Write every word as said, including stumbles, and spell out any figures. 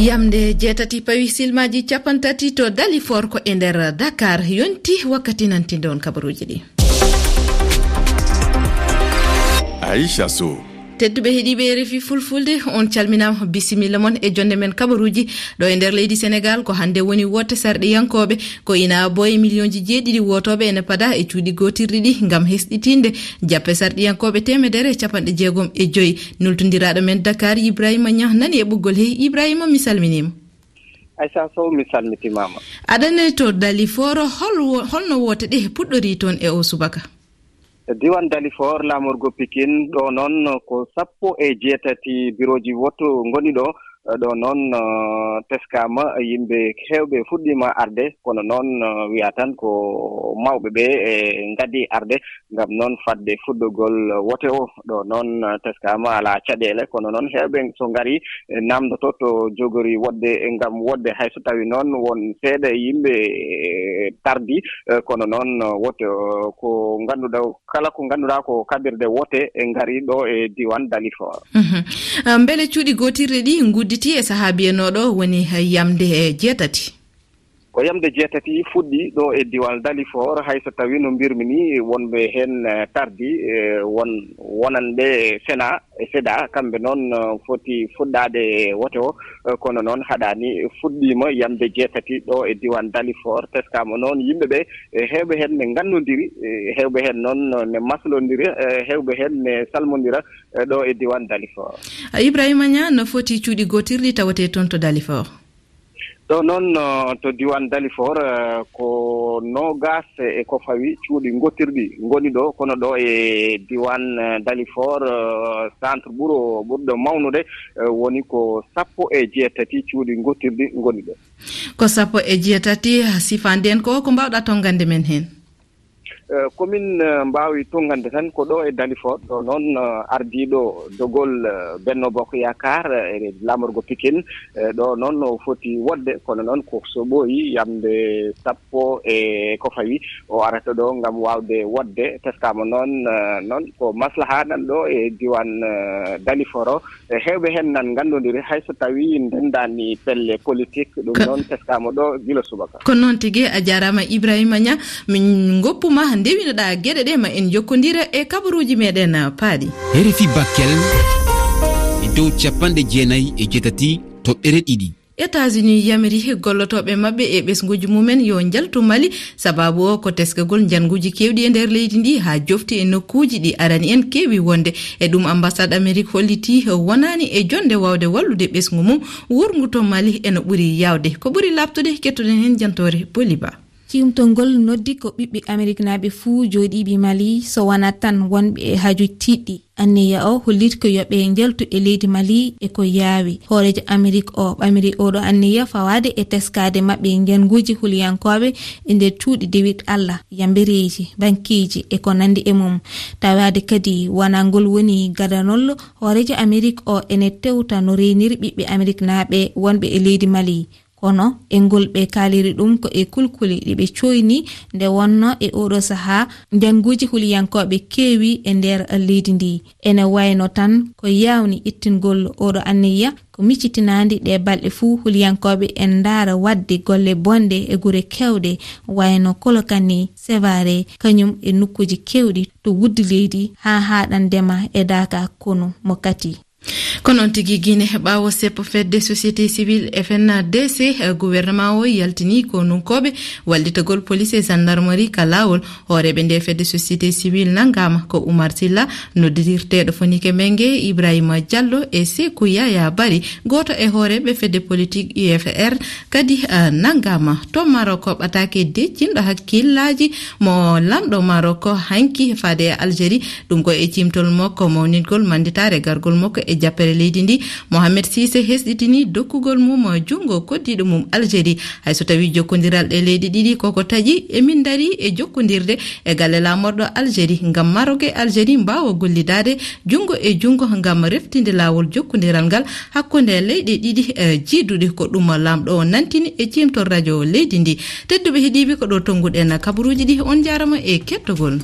Yamde jeetati pawi silmaaji capanɗe tati to Dalifort ko e nder Dakar. Yonti wakkati nantinde on kabaruuji ɗi. Aisha Sow. Tedduɓe heɗiiɓe R F I Fulfulde, on calminaama, bisimilla mon e jonde men kabaruuji. Ɗo e nder leydi Senegaal, ko hannde woni woote sarɗiyankooɓe, ko ina boye miliyonji jeeɗiɗi wootooɓe ene pada e cuuɗi gootirɗi ɗi ngam hesɗitinde jappe sarɗiyankooɓe teemedere e capanɗe jeegom e joy. Nultondiraaɗo men Dakar, Ibrahima Niang, nani e ɓoggol he. Ibrahima, mi salminiima. Aisha Sow, mi salmitimaama. Aɗa ne to Dalifort, hol wo-, holno woote ɗe puɗɗori toon e o subaka? Diwan Dalifort, laamorgo Pikin, ɗo noon ko sappo e jeetati birooji woto ngoni ɗo. Ɗo noon, eh, teskaama, yimɓe heewɓe fuɗɗiima arde, kono noon, eh, wiya tan ko mawɓe ɓe, eh, ngaddi arde ngam noon fadde fuɗɗogol wote o. Ɗo noon, eh, teskaama alaa caɗeele, kono noon heewɓe so ngari, eh, naamndoto to jogori woɗde ngam woɗde, hay so tawi noon won seeɗa e yimɓe, eh, tardi, eh, kono noon, eh, wote, eh, ko ngannduɗaa, kala ko ngannduɗaa ko kaɓirɗe wote e ngari ɗo e diwan Dalifort. Mhm. Ah, mbele cuuɗi gootirɗi ɗi ngudditi e sahaa biyanooɗo woni yamde e jeetati? Ko yamde jeetati fuɗɗi ɗo e diwan Dalifort, hay so tawi no mbirmi ni wonɓe heen, eh, tardi, eh, won wonanɓe Sena e Seda, kamɓe noon, eh, foti fuɗɗaade wote o, eh, kono noon haɗaani, fuɗɗiima yamde jeetati ɗo e diwan Dalifort, teskaama noon yimɓe ɓe, eh, heewɓe heen ne nganndondiri, eh, heewɓe heen noon ne maslondiri, eh, heewɓe heen ne salmondira, eh, ɗo e diwan Dalifort. A Ibrahima Niang, no foti cuuɗi gootirɗi tawetee toon to Dalifort? Ɗo noon, eh, to diwan Dalifort, eh, ko noogaas e ko fawi cuuɗi ngootirɗi ngoni ɗo, kono ɗo e diwan, eh, Dalifort, eh, centre ɓuro, ɓurɗo mawnude, eh, woni ko sappo e jeetati cuuɗi ngootirɗi ngoni ɗo. Ko sappo e jeetati, sifande en ko, ko mbaawɗa tonngande men heen? Eh, ko min, eh, mbaawi tonngande tan ko ɗo e Dalifort, ɗo noon, eh, ardiiɗo dogol, eh, Benno Bokk Yaakaar, eh, e laamorgo Pikin, eh, ɗo noon o foti woɗde, kono noon ko so ɓooyi yamde sappo e ko fawi o arata ɗo ngam waawde woɗde. Teskaama noon, eh, noon ko maslaha nan ɗo e diwan, eh, Dalifort o. E heewɓe heen nan nganndondiri, hay so tawi ndenndaani pelle politik, ɗum Ko noon teskaama ɗo gila subaka. Ko noon tigi, a jaaraama Ibrahima Niang, min ngoppu ma ndewinoɗaa geɗe ɗe ma en njokkondira e kabaruuji meɗen paaɗi. R F I Bakel e dow capanɗe jeenayi e jeetati toɓɓere ɗiɗi. États-Unis yamiri gollotooɓe maɓɓe e ɓesnguuji mumen yo njaltu Mali. Sababu o ko teskagol njannguuji keewɗi e nder leydi ndi haa jofti e nokkuuji ɗi arani en keewi wonde. E ɗum ambassade Amerik holliti wonaani e jonde waawde wallude ɓesngu mum wurngu to Mali eno ɓuri yaawde. Ko ɓuri laaɓtude, kettoɗen heen jantoore Boli Ba. Ciimtol ngol noddi ko ɓiɓɓe Ameriknaaɓe fuu jooɗiiɓe Mali, so wonaa tan wonɓe e haaju tiiɗɗi. Anniya o hollit ko yo ɓe njaltu e leydi Mali e ko yaawi. Hooreejo Amerik o ɓamiri oɗo anniya fawaade e teskaade maɓɓe njannguuji huliyankooɓe e nder cuuɗi dewit Allah, yambereeji, bankiiji e ko nanndi e mum. Tawaade kadi wonaa ngol woni gadanol hooreejo Amerik o ene tewta no reeniri ɓiɓɓe Ameriknaaɓe wonɓe e leydi Mali. Kono e ngol ɓe kaaliri ɗum ko e kulkuli ɗi ɓe cooyni nde wonno e oɗo sahaa njannguuji huliyankooɓe keewi e nder leydi ndi. Ene wayno tan ko yaawni ittingol oɗo anniya ko miccitinaandi ɗe balɗe fuu huliyankooɓe en ndaara waɗde golle bonɗe e gure keewɗe wayno Kolokani, Sevare, kañum e nokkuuji keewɗi to wuddi leydi haa haaɗandema e daaka konu mo Kati. Ko noon tigi, Gine, ɓaawo seppo fedde société civile F N D C, eh, gouvernement o yaltini ko nunkooɓe wallitagol police e gendarmerie ka laawol. Hooreeɓe nde fedde société civile nanngaama ko Oumar Silla, noddirirteeɗo Fonike Menge, Ibrahima Diallo e Sekou Yaya Bari, gooto e hooreeɓe fedde politique U F R, kadi, eh, nanngaama. To Maroc, ɓataake deƴƴinɗo hakkillaaji mo lamɗo Maroc hanki faade e Algérie. Ɗum ko e ciimtol makko mawningol mannditaare gargol makko e jappere leydi ndi. Mohamed Sise hesɗitini dokkugol mum junngo koddiiɗo mum Algérie. Hay so tawii jokkondiral ɗe leyɗe ɗiɗi koko taƴi, emin ndarii e jokkondirde e galle laamorɗo Algérie ngam Maroc e Algérie mbaawa gollidaade junngo e junngo ngam reftinde laawol jokkondiral ngal hakkunde leyɗe ɗiɗi, eh, jiiduɗe. Ko ɗum laamɗo o nantini e ciimtol radio leydi ndi. Tedduɓe heɗiiɓe, ko ɗo tonnguɗen kabaruuji ɗi. On njaarama e kettogol.